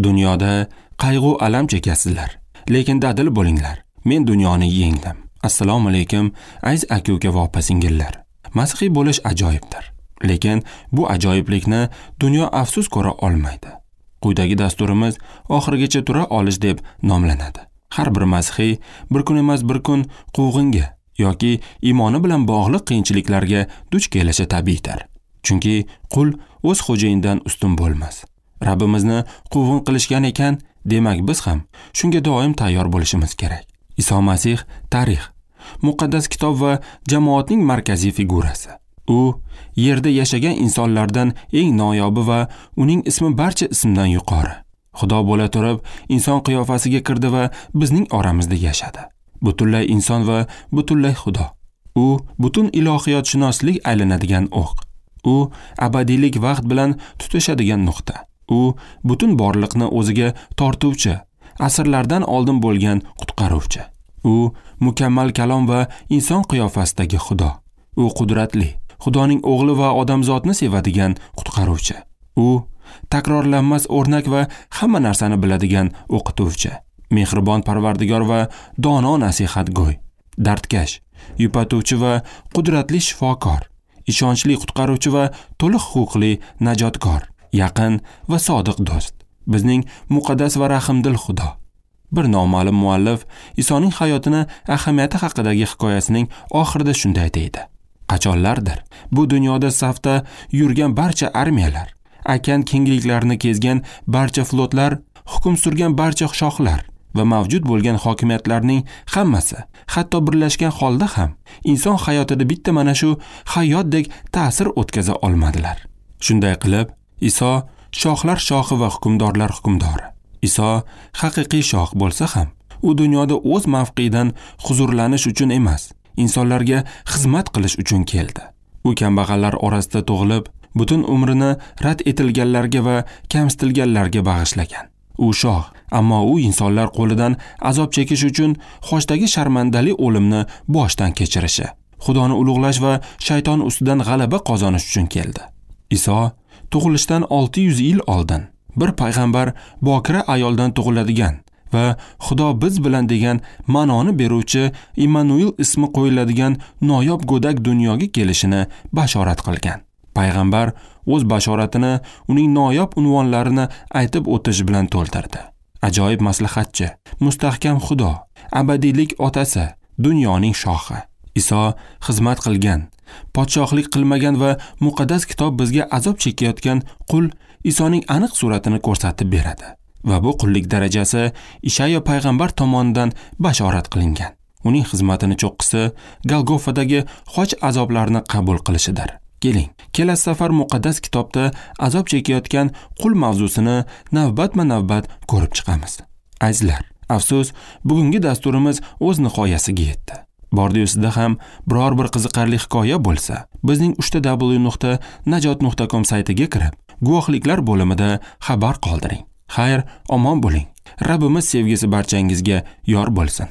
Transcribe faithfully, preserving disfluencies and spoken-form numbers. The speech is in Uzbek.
Dunyoda qayg'u alam chekasizlar, lekin dadil bo'linglar. Men dunyoni yengdim. Assalomu alaykum, aziz aka-uka va opa-singillar. Masihiy bo'lish ajoyibdir. Lekin bu ajoyiblikni dunyo afsus ko'ra olmaydi. Quyidagi dasturimiz oxirigacha tura olish deb nomlanadi. Har bir masihiy bir kun emas bir kun quvg'inga yoki iymoni bilan bog'liq qiyinchiliklarga duch kelishi tabiiydir. Chunki qul o'z xo'jayinidan ustun bo'lmas. Rabbimizni quvg'in qilishgan ekan, demak biz ham shunga doim tayyor bo'lishimiz kerak. Iso Masih tarix, muqaddas kitob va jamoatning markaziy figurasi. U yerda yashagan insonlardan eng noyobi va uning ismi barcha ismdan yuqori. Xudo bo'la turib, inson qiyofasiga kirdi va bizning oramizda yashadi. Butunlay inson va butunlay Xudo. U butun ilohiyotshunoslik aylanadigan o'q. U abadiylik vaqt bilan tutashadigan nuqta. U butun borliqni o'ziga tortuvchi, asrlardan oldin bo'lgan qutqaruvchi. U mukammal kalom va inson qiyofasidagi Xudo. U qudratli, Xudoning o'g'li va odamzodni sevadigan qutqaruvchi. U takrorlanmas o'rnak va hamma narsani biladigan o'qituvchi, mehribon parvardigor va dono nasihatgo'y, dardkash, yupatuvchi va qudratli shifokor, ishonchli qutqaruvchi va to'liq huquqli najotkor, yaqin va sodiq do'st, bizning muqaddas va rahimdil Xudo. Bir noma'lum muallif Isoning hayotini ahamiyati haqidagi hikoyasining oxirida shunday deydi: Qachonlardir bu dunyoda safda yurgan barcha armiyalar, okean kengliklarini kezgan barcha flotlar, hukm surgan barcha shohlar va mavjud bo'lgan hokimiyatlarning hammasi, hatto birlashgan holda ham inson hayotida bitta mana shu hayotdek ta'sir o'tkaza olmadilar. Shunday qilib, Iso shohlar shohi va hukmdorlar hukmdori. Iso haqiqiy shoh bo'lsa ham, u dunyoda o'z mavqeidan huzurlanish uchun emas, insonlarga xizmat qilish uchun keldi. U kambag'allar orasida tug'ilib, butun umrini rad etilganlarga va kamsitilganlarga bag'ishlagan. U shoh, ammo u insonlar qo'lidan azob chekish uchun xochdagi sharmandali o'limni boshdan kechirishi, Xudoni ulug'lash va shayton ustidan g'alaba qozonish uchun keldi. Iso tug'ilishdan olti yuz yil oldin bir payg'ambar bokira ayoldan tug'iladigan va Xudo biz bilan degan ma'noni beruvchi Immanuel ismi qo'yiladigan noyob go'dak dunyoga kelishini bashorat qilgan. Payg'ambar o'z bashoratini uning noyob unvonlarini aytib o'tish bilan to'ldirdi. Ajoyib maslahatchi, mustahkam Xudo, abadiylik otasi, dunyoning shohi. Iso xizmat qilgan, podshohlik qilmagan va muqaddas kitob bizga azob chekayotgan qul Isoning aniq suratini ko'rsatib beradi. Va bu qullik darajasi Ishayo payg'ambar tomonidan bashorat qilingan. Uning xizmatini cho'qqisi Golgofadagi xoch azoblarini qabul qilishidir. Keling, kelasi safar muqaddas kitobda azob chekayotgan qul mavzusini navbatma-navbat ko'rib chiqamiz. Azizlar, afsus, bugungi dasturimiz o'z nihoyasiga yetdi. Bordi-yu sizda ham biror bir qiziqarli hikoya bo'lsa, bizning uchta w nuqta najot nuqta com saytiga kirib, guvohliklar bo'limida xabar qoldiring. Xayr, omon bo'ling. Rabbimiz sevgisi barchangizga yor bo'lsin.